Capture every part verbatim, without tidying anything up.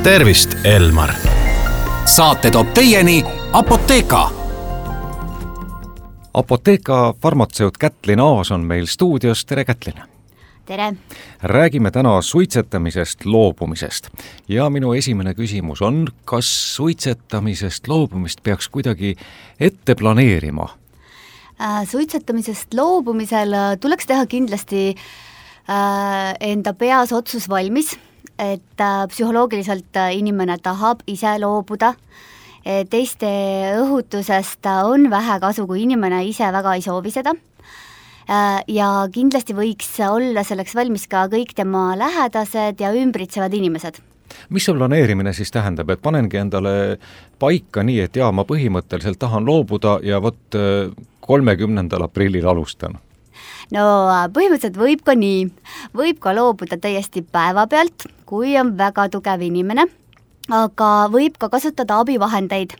tervist, Elmar! Saate toob teieni Apotheka. Apotheka farmatseut Kätlin Aas on meil stuudios. Tere, Kätlin! Tere! Räägime täna suitsetamisest loobumisest. Ja minu esimene küsimus on, kas suitsetamisest loobumist peaks kuidagi ette planeerima? Suitsetamisest loobumisel tuleks teha kindlasti enda peas otsus valmis, et psühholoogiliselt inimene tahab ise loobuda. Teiste õhutusest on vähe kasu, kui inimene ise väga ei soovi seda. Ja kindlasti võiks olla selleks valmis ka kõik tema lähedased ja ümbritsevad inimesed. Mis see planeerimine siis tähendab, et panengi endale paika nii, et jaa, ma põhimõtteliselt tahan loobuda ja vot kolmekümnendal aprillil alustan? No põhimõtteliselt võib ka nii. Võib ka loobuda täiesti päeva pealt, kui on väga tugev inimene, aga võib ka kasutada abivahendeid.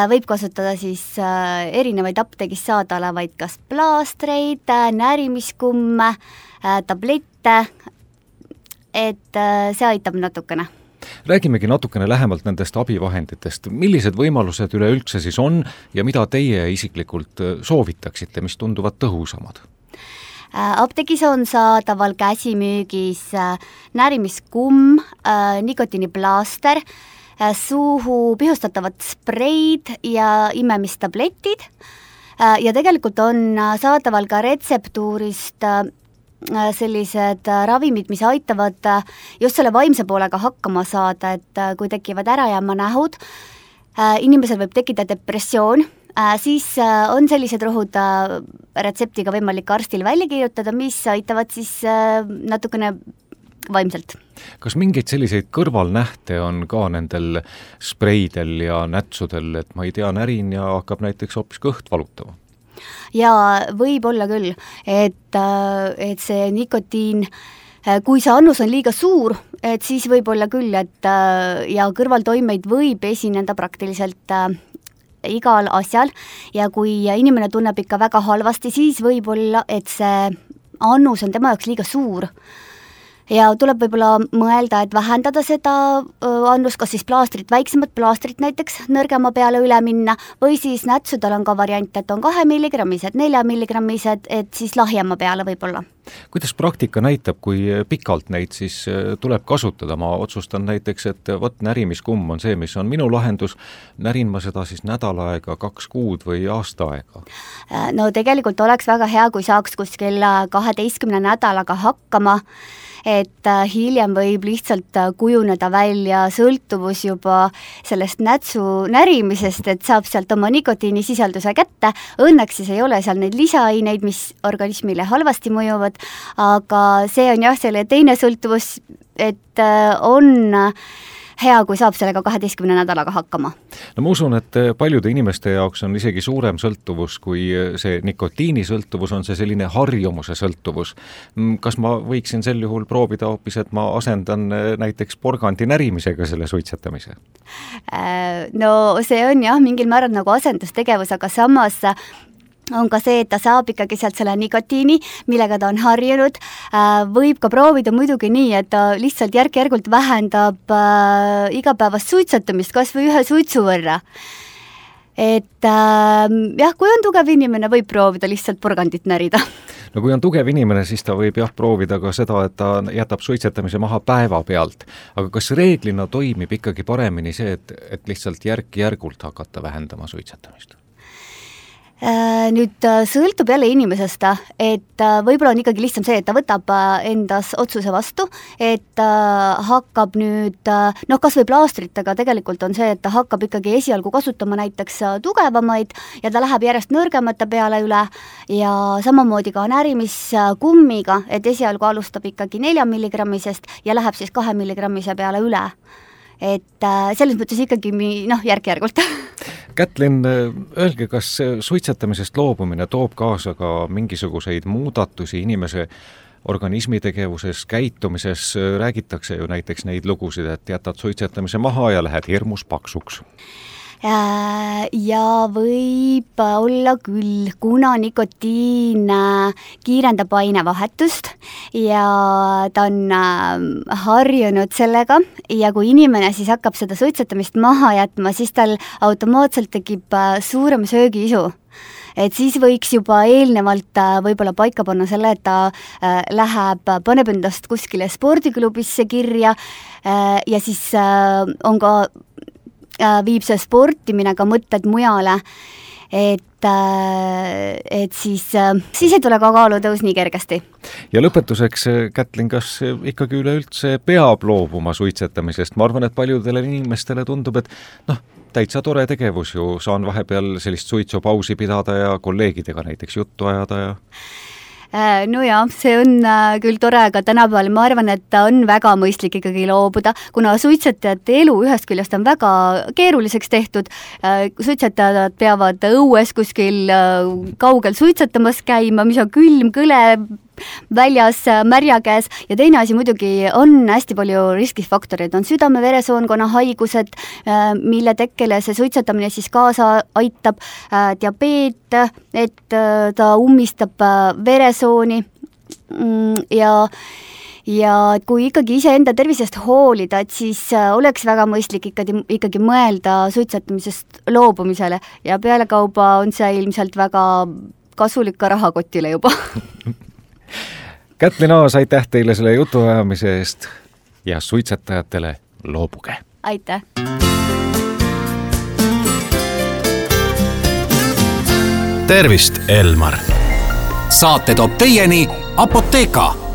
Võib kasutada siis erinevaid apteegis saada olevaid kas plaastreid, närimiskumme, tablette, et see aitab natukene. Räägimegi natukene lähemalt nendest abivahenditest. Millised võimalused üleüldse siis on ja mida teie isiklikult soovitaksite, mis tunduvad tõhusamad? Apteegis on saadaval käsimüügis närimiskumm, nikotiiniplaaster, suuhu pihustatavad spreid ja imemistabletid ja tegelikult on saadaval ka retseptuurist sellised ravimid, mis aitavad just selle vaimse poolega hakkama saada, et kui tekivad ärajääma nähud, inimesel võib tekkida depressioon, siis on sellised rohud retseptiga võimalik arstil välja kirjutada, mis aitavad siis natukene vaimselt. Kas mingeid selliseid kõrvalnähte on ka nendel spreidel ja nätsudel, et ma ei tea, närin ja hakkab näiteks hoopis kõht valutama? Ja võib olla küll, et, et see nikotiin, kui see annus on liiga suur, et siis võib olla küll, et ja kõrvaltoimeid võib esineda praktiliselt igal asjal ja kui inimene tunneb ikka väga halvasti, siis võib olla, et see annus on tema jaoks liiga suur. Ja tuleb võib-olla mõelda, et vähendada seda annust, kas siis plaastrit, väiksemad plaastrit näiteks nõrgema peale üle minna või siis nätsudel on ka variant, et on kahe milligrammised, nelja milligrammised, et siis lahjema peale võib-olla. Kuidas praktika näitab, kui pikalt neid siis tuleb kasutada? Ma otsustan näiteks, et võt närimiskumm on see, mis on minu lahendus. Närin ma seda siis nädal aega, kaks kuud või aasta aega? No tegelikult oleks väga hea, kui saaks kuskil kaheteistkümne nädalaga hakkama, et hiljem võib lihtsalt kujuneda välja sõltuvus juba sellest nätsu närimisest, et saab sealt oma nikotiinisisalduse kätte. Õnneks siis ei ole seal neid lisaaineid, mis organismile halvasti mõjuvad, aga see on jah, selle teine sõltuvus, et on hea, kui saab sellega kaheteistkümne nädalaga hakkama. No ma usun, et paljude inimeste jaoks on isegi suurem sõltuvus, kui see nikotiini sõltuvus on see selline harjumuse sõltuvus. Kas ma võiksin sel juhul proovida hoopis, et ma asendan näiteks porgandi närimisega selle suitsetamise? No see on jah, mingil määral nagu asendustegevus, aga samas on ka see, et ta saab ikkagi sealt selle nikotiini, millega ta on harjunud. Võib ka proovida muidugi nii, et ta lihtsalt järk-järgult vähendab igapäevast suitsetamist kas või ühe suitsu võrra. Et jah, kui on tugev inimene, võib proovida lihtsalt porgandit närida. No kui on tugev inimene, siis ta võib jah proovida ka seda, et ta jätab suitsetamise maha päeva pealt. Aga kas reeglina toimib ikkagi paremini see, et, et lihtsalt järk-järgult hakata vähendama suitsetamist? Nüüd sõltub jälle inimesest, et võib-olla on ikkagi lihtsam see, et ta võtab endas otsuse vastu, et hakkab nüüd, noh kas või plaastritega tegelikult on see, et ta hakkab ikkagi esialgu kasutama näiteks tugevamaid ja ta läheb järjest nõrgemate peale üle ja samamoodi ka närimiskummiga, et esialgu alustab ikkagi nelja milligrammisest ja läheb siis kahe milligrammise peale üle. Et selles mõttes ikkagi noh, järk-järgult. Kätlin, öelge, kas suitsetamisest loobumine toob kaasa ka mingisuguseid muudatusi inimese organismi tegevuses, käitumises? Räägitakse ju näiteks neid lugusid, et jätad suitsetamise maha ja lähed hirmus paksuks. Ja võib olla küll, kuna nikotiin kiirendab ainevahetust ja ta on harjunud sellega ja kui inimene siis hakkab seda suitsetamist maha jätma, siis tal automaatselt tekib suurem söögiisu. Et siis võiks juba eelnevalt võib-olla paika panna selle, et ta läheb, paneb endast kuskile spordiklubisse kirja ja siis on ka, viib see sportimine ka mõtted mujale, et, et siis, siis ei tule ka kaalutõus nii kergesti. Ja lõpetuseks, Kätlin, kas ikkagi üleüldse peab loobuma suitsetamisest? Ma arvan, et paljudele inimestele tundub, et noh, täitsa tore tegevus ju, saan vahepeal sellist suitsupausi pidada ja kolleegidega näiteks juttu ajada ja... No jah, see on küll tore, aga tänapäeval ma arvan, et ta on väga mõistlik ikkagi loobuda, kuna suitsetajate elu ühest küljest on väga keeruliseks tehtud. Suitsetajad peavad õues kuskil kaugel suitsetamas käima, mis on külm, kõle, väljas märja käes ja teine asi muidugi on hästi palju riskifaktoreid, on südame-veresoonkonna haigused, mille tekkele see suitsetamine siis kaasa aitab, diabeet, et ta ummistab veresooni ja ja kui ikkagi iseenda tervisest hoolida, et siis oleks väga mõistlik ikkagi, ikkagi mõelda suitsetamisest loobumisele ja pealekauba on see ilmselt väga kasulik ka rahakotile juba. Kätlin Aas, aitäh teile selle jutuajamise eest ja suitsetajatele loobuge. Aitäh! Tervist, Elmar! Saate toob teieni Apoteeka!